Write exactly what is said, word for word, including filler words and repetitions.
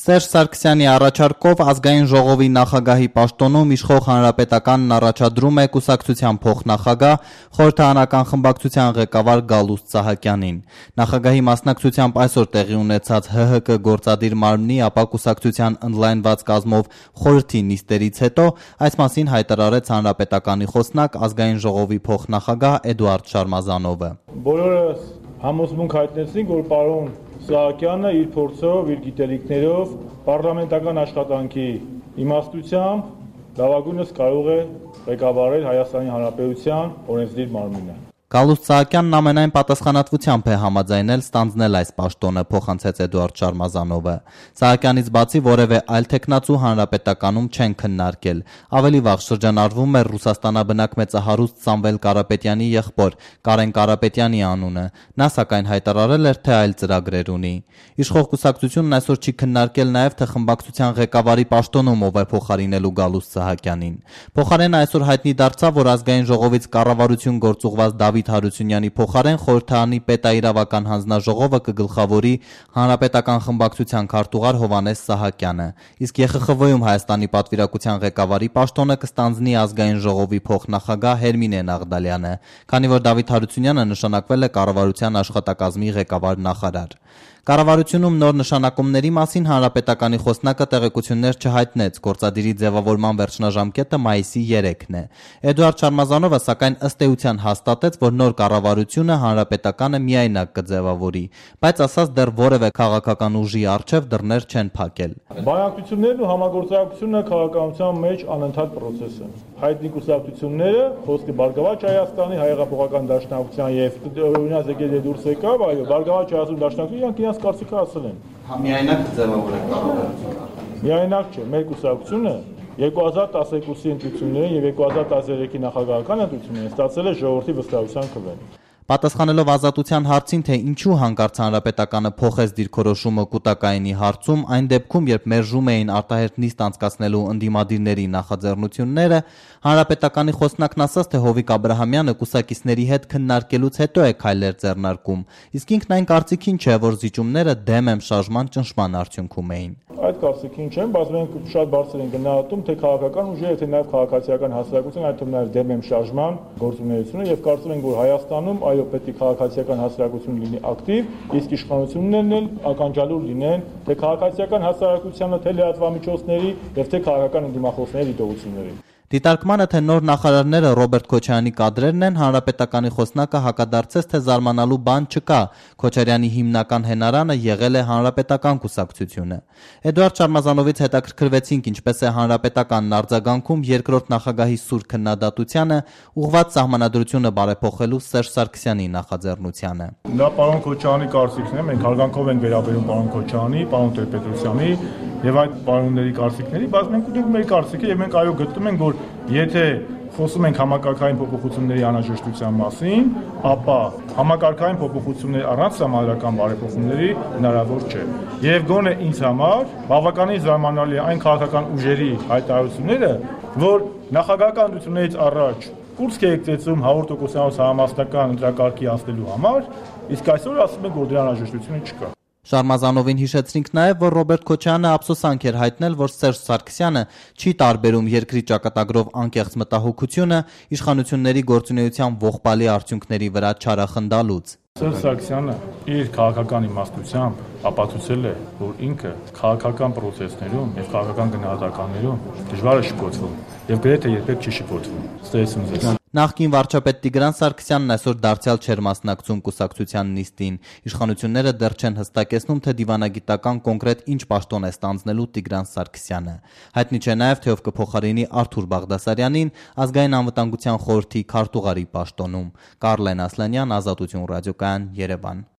Սերժ Սարգսյանի առաջարկով ազգային ժողովի նախագահի պաշտոնում իշխող հանրապետականն առաջադրում է կուսակցության փոխնախագահ, խորհրդարանական խմբակցության ղեկավար Գալուստ Սահակյանին։ Նախագահի մասնակցությամբ այսօր տեղի ունեցած ՀՀԿ գործադիր մարմնի, ապա կուսակցության ընդլայնված կազմով խորհրդի նիստերից հետո այս մասին հայտարարեց հանրապետականի խոսնակ ազգային ժողովի փոխնախագահ Էդուարդ Շարմազանովը։ Բոլորս համոզմունք հայտնեցինք, որ պարոն Սահակյանը իր փորձով, իր գիտելիքներով, պարլամենտական աշխատանքի իմաստությամբ լավագույնս կարող է ղեկավարել Հայաստանի Հանրապետության օրենսդիր մարմինը։ Գալուստ Սահակյանն ամենայն պատասխանատվությամբ է համաձայնել ստանձնել այս պաշտոնը, փոխանցեց Էդուարդ Շարմազանովը։ Սահակյանից բացի որևէ այլ թեկնածու հանրապետականում չեն քննարկել։ Ավելի վաղ շրջանառվում էր Ռուսաստանաբնակ մեծահարուստ Սամվել Կարապետյանի եղբոր Կարեն Կարապետյանի անունը։ Նա սակայն հայտարարել էր, թե այլ ծրագրեր ունի։ Իշխող կուսակցությունն այսօր չի քննարկել նաև, թե խմբակցության ղեկավարի պաշտոնում ով է փոխարինելու Գալուստ Սահակյանին։ Փոխարենը այսօր հայտնի դարձավ, որ ազգային ժողովից կառավարություն գործուղված Դավիթ Հարությունյանի փոխարեն խորհրդարանի պետաիրավական հանձնաժողովը կգլխավորի հանրապետական խմբակցության քարտուղար Հովհաննես Սահակյանը, իսկ ԵԽԽՎ-ում Հայաստանի պատվիրակության ղեկավարի պաշտոնը կստանձնի ազգային ժողովի փոխնախագահ Հերմինե Նաղդալյանը, քանի որ Դավիթ Հարությունյանը նշանակվել է կառավարության աշխատակազմի ղեկավար նախարար։ Կառավարությունում նոր նշանակումների մասին հանրապետականի խոսնակը տեղեկություններ չհայտնեց, գործադիրի ձևավորման վերջնաժամկետը մայիսի երեքն է։ Էդուարդ Շարմազանովը սակայն ըստ էության հաստատեց, որ նոր կառավարությունը հանրապետականը միայնակ կձևավորի, բայց ասաց դեռ որևէ քաղաքական ուժի առջև դռներ չեն փակել։ Բանակցություններն ու համագործակցությունը քաղաքականության մեջ անընդհատ process է։ Հայտնի կուսակցությունները, խոսքը Բարգավաճ Հայաստանի, Հայեղափոխական Դաշնակցության եւ օրինակ եկել է դուրս եկավ, այո, Բարգավաճ Հայաստանի Դաշնակցությունը իրանք իրենց կարծիքը ասել են։ Միայնակ կձևավորել կառավարությունը։ Միայնակ չէ, մեր կուսակցությունը երկու հազար տասներկուսի ընտրությունները եւ երկու հազար տասներեքի նախագահական ընտրությունները ստացել է ժողովրդի վստահության քվե։ Պատասխանելով Ազատության հարցին, թե ինչու հանկարծ հանրապետականը փոխեց դիրքորոշումը կուտակայինի հարցում, այն դեպքում, երբ մերժում էին արտահերթ նիստ անցկացնելու ընդդիմադիրների նախաձեռնությունները, հանրապետականի խոսնակն ասաց, թե Հովիկ Աբրահամյանը կուսակիցների հետ քննարկելուց հետո է քայլեր ձեռնարկում, իսկ ինքն այն կարծիքին չէ, որ զիջումները դեմ եմ շարժման ճնշման արդյունքում էին։ Այդ կարծիքին չեմ, բայց մենք շատ բարձր են գնահատում, թե քաղաքական ուժերը, թե նաև քաղաքացիական հասարակությունը, այդ թվում նաև դեմ եմ շարժման գործունեությունը եւ կարծում ենք, որ Հայաստանում այո պետք է քաղաքացիական հասարակություն լինի ակտիվ, իսկ իշխանություններն էլ ականջալուր լինեն թե քաղաքացիական հասարակությանը, թե լրատվամիջոցների եւ թե քաղաքական ընդդիմախոսների դիտողությունների։ Դիտարկմանը, թե նոր նախարարները Ռոբերտ Քոչարյանի կադրերն են, հանրապետականի խոսնակը հակադարձեց, թե զարմանալու բան չկա, Քոչարյանի հիմնական հենարանը եղել է հանրապետական կուսակցությունը։ Էդուարդ Շարմազանովից հետաքրքրվեցինք, ինչպես է հանրապետականն արձագանքում երկրորդ նախագահի սուր քննադատությանը, ուղղված սահմանադրությունը բարեփոխելու Սերժ Սարգսյանի նախաձեռնությանը։ Դա պարոն Քոչարյանի կարծիքն է, մենք հարգանքով ենք վերաբերում պարոն Քոչարյանի, պարոն Տեր-Պետրոսյանի եւ այդ պարոնների կարծիքների, բայց մենք ունենք մեր կարծիքը եւ մենք այո գտնում ենք, որ եթե խոսում ենք համակարգային փոփոխությունների անհրաժեշտության մասին, ապա համակարգային փոփոխություններ առանց համալրական բարեփոխումների հնարավոր չէ։ Եվ գոնե ինձ համար բավականին զարմանալի է այն քաղաքական ուժերի հայտարարությունները, որ նախագահական ընտրություններից առաջ կուրս կերտեցում հավոր տոկոսանոց համամասնական ընտրակարգի անցնելու համար, իսկ այսօր ասում են, որ դրա անհրաժեշտությունը չկա։ Շարմազանովին հիշեցրինք նաև, որ Ռոբերտ Քոչարյանը ափսոսանք էր հայտնել, որ Սերժ Սարգսյանը չի տարբերում երկրի ճակատագրով անկեղծ մտահոգությունը իշխանությունների գործունեության ողբալի արդյունքների վրա չարախնդալուց։ Սերժ Սարգսյանը իր քաղաքական իմաստությամբ ապացուցել է, որ ինքը քաղաքական process-ներում եւ քաղաքական գնահատականներում դժվար է շփոթվում եւ գրեթե երբեք չի շփոթվում։ Ստեսում ձեզ։ Նախկին վարչապետ Տիգրան Սարգսյանն այսօր դարձյալ չէր մասնակցում կուսակցության նիստին։ Իշխանությունները դեռ չեն հստակեցնում, թե դիվանագիտական կոնկրետ ինչ պաշտոն է ստանձնելու Տիգրան Սարգսյանը։ Հայտնի չէ նաև, թե ով կփոխարինի Արթուր Բաղդասարյանին ազգային անվտանգության խորհրդի քարտուղարի պաշտոնում։ Կարլեն Ասլանյան, Ազատություն ռադիոկայան, Երևան։